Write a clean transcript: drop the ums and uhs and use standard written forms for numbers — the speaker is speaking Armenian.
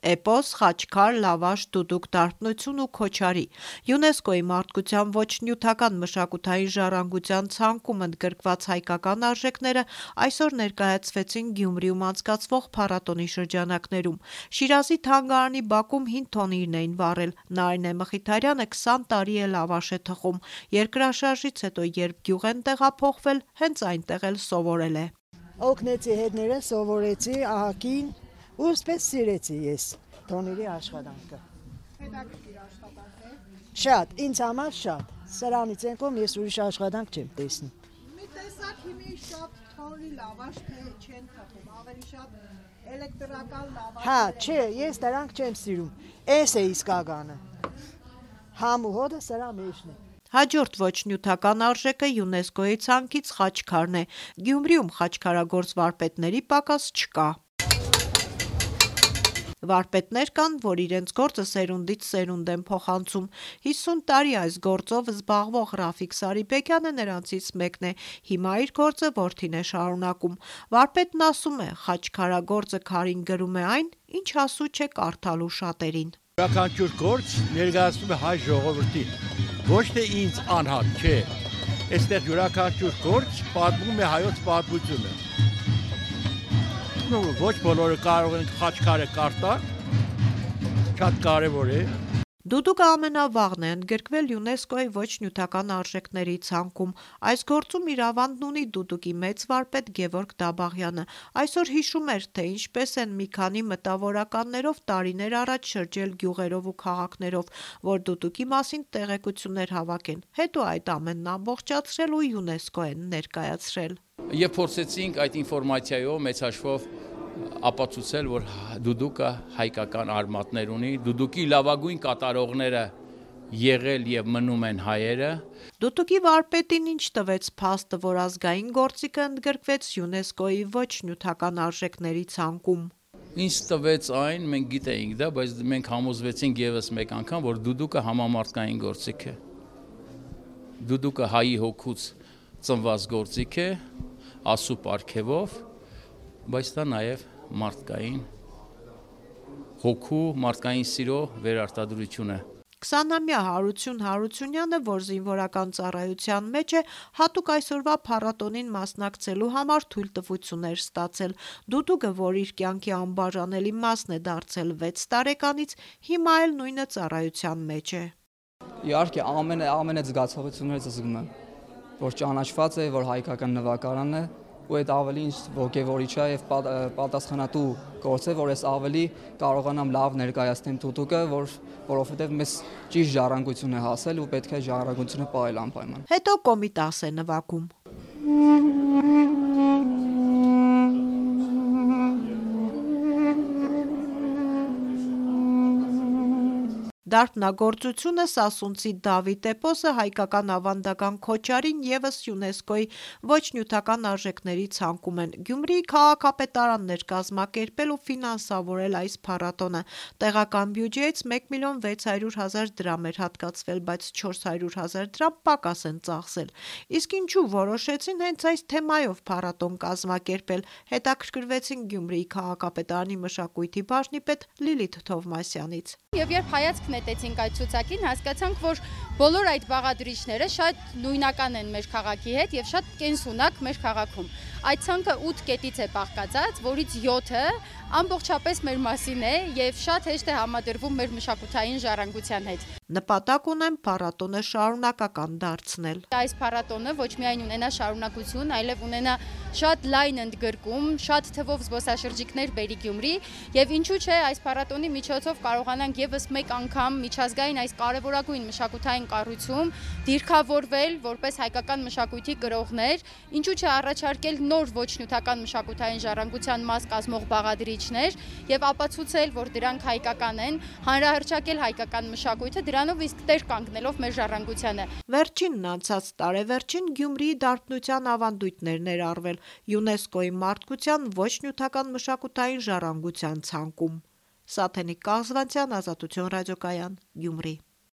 Էպոս, խաչքար, լավաշ, դուդուկ, դարբնություն ու քոչարի։ ՅՈՒՆԵՍԿՕ-ի մարդկության ոչ նյութական մշակութային ժառանգության ցանկում ընդգրկված հայկական արժեքները այսօր ներկայացվեցին Գյումրիում անցկացվող փառատոնի շրջանակներում։ Շիրազի թանգարանի բակում հին թոնիրն էին վառել։ Նարինե Մխիթարյանը 20 տարի է լավաշ է թխում։ Երկրաշարժից հետո, երբ գյուղ են տեղափոխվել, հենց այնտեղ էլ սովորել է։ Օգնեցի հետները, սովորեցի ահագին ու սպես սիրեցի ես թոնիրի աշխատանքը։ Հետաքրքիր աշխատանք է։ Շատ, ինձ համար շատ։ Սրանից ենքով ես ուրիշ աշխատանք չեմ տեսնում։ Մի տեսակ հիմի շատ թոնրի լավաշ թե չեն թխում, ավելի շատ էլեկտրական լավաշ։ Հա, չէ, ես դրանք չեմ սիրում։ Էս է իսկականը։ Համ ու հոդը սրա մեջն է։ Հաջորդ ոչ նյութական արժեքը ՅՈՒՆԵՍԿՕ-ի ցանկից խաչքարն է։ Գյումրիում խաչքարագործ վարպետների պակաս չկա։ Վարպետներ կան, որ իրենց գործը սերունդից սերունդ են փոխանցում։ 50 տարի այս գործով զբաղվող Ռաֆիկ Սարիբեկյանը նրանցից մեկն է։ Հիմա իր գործը որդին է շարունակում։ Վարպետն ասում է, խաչքարագործը քարին գրում է այն, ինչ հասու չէ կարդալու շատերին։ Յուրաքանչյուր գործ ներկայացնում է հայ ժողովրդին, ոչ թե ինձ անհատ, չէ։ Այստեղ յուրաքանչյուր գործ պատմում է հայոց պատմությունը։ Ոչ բոլորը կարող են խաչքարը կարդալ, շատ կարևոր է։ Դուդուկը ամենավաղն է ընդգրկվել ՅՈՒՆԵՍԿՕ-ի ոչ նյութական արժեքների ցանկում։ Այս գործում իր ավանդն ունի դուդուկի մեծ վարպետ Գևորգ Դաբաղյանը։ Այսօր հիշում էր, թե ինչպես են մի քանի մտավորականներով տարիներ առաջ շրջել գյուղերով ու քաղաքներով, որ դուդուկի մասին տեղեկություններ հավաքեն։ Հետո այդ ամենն ամբողջացրել ու ՅՈՒՆԵՍԿՕ են ներկայացրել։ Եվ փորձեցինք այդ ինֆորմացիայով մեծ հաշվով ապացուցել, որ դուդուկը հայկական արմատներ ունի, դուդուկի լավագույն կատարողները եղել եւ մնում են հայերը։ Դուդուկի վարպետին ինչ տվեց փաստը, որ ազգային գործիքը ընդգրկվեց ՅՈՒՆԵՍԿՕ-ի ոչ նյութական արժեքների ցանկում։ Ինչ տվեց այն, մենք գիտեինք դա, բայց մենք համոզվեցինք եւս մեկ անգամ, որ դուդուկը համամարտկային գործիք է։ Դուդուկը հայի հոգուց ծնված գործիք է, ասու պարգևով, բայց դա նաև մարդկային հոգու, մարդկային սիրո վերարտադրություն է։ 20-ամյա Հարություն Հարությունյանը, որ զինվորական ծառայության մեջ է, հատուկ այսօրվա փառատոնին մասնակցելու համար թույլտվություններ ստացել։ Դուդուկը, որ իր կյանքի անբաժանելի մասն է դարձել 6 տարեկանից, հիմա էլ նույնը ծառայության մեջ է։ Իհարկե, ամենը զգացողություններից զգում եմ, որ ճանաչված է, որ հայկական նվագարան է, ու այդ ավելի ինչ ոգևորիչ է եւ պատասխանատու գործ է, որ ես ավելի կարողանամ լավ ներկայացնեմ դուդուկը, որովհետեւ մեզ ճիշտ ժառանգություն է հասել ու պետք է ժառանգությունը պահել անպայման։ Հետո կոմիտաս է նվագում։ Դարբնագործությունը սասունցի Դավիթ Էպոսը հայկական ավանդական քոչարին եւս ՅՈՒՆԵՍԿՕ-ի ոչ նյութական արժեքների ցանկում են։ Գյումրիի քաղաքապետարանն էր կազմակերպել ու ֆինանսավորել այս փառատոնը։ Տեղական բյուջեից 1.600.000 դրամ էր հատկացվել, բայց 400.000 դրամ պակաս են ծախսել։ Իսկ ինչու որոշեցին հենց այս թեմայով փառատոն կազմակերպել, հետաքրքրվեցին Գյումրիի քաղաքապետարանի մշակույթի բաժնի պետ Լիլիթ Թովմասյանից։ Եվ երբ հայացք նետեցինք այդ ցուցակին, հասկացանք, որ բոլոր այդ բաղադրիչները շատ նույնական են մեր քաղաքի հետ եւ շատ կենսունակ մեր քաղաքում։ Այդ ցանկը 8 կետից է բաղկացած, որից 7-ը ամբողջապես մեր մասին է եւ շատ հեշտ է համադրվում մեր մշակութային ժառանգության հետ։ Նպատակ ունեն փառատոնը շարունակական դարձնել։ Այս փառատոնը ոչ միայն ունենա շարունակություն, այլև ունենա շատ լայն ընդգրկում, շատ թվով զբոսաշրջիկներ բերի Գյումրի եւ ինչու՞ չէ այս փառատոնի միջոցով կարողանանք եւս մեկ անգամ միջազգային այս կարեւորագույն մշակութային կառույցում դիրքավորվել որպես հայկական մշակույթի գրողներ, ինչու՞ չէ առաջարկել նոր ոչ նյութական մշակութային ժառանգության մաս կազմող բաղադրիչներ եւ ապացուցել, որ դրանք հայկական են, հանրահռչակել հայկական մշակույթը, դրանով իսկ տեր կանգնելով մեր ժառանգությանը։ Վերջինն անցած տարեվերջին Գյումրիի դարբնության ավանդույթներ ներառվել ՅՈՒՆԵՍԿՕ-ի մարդկության ոչ նյութական մշակութային ժառանգության ցանկում։ Սաթենիկ Կազվանցյան, Ազատություն ռադիոկայան, Գյումրի։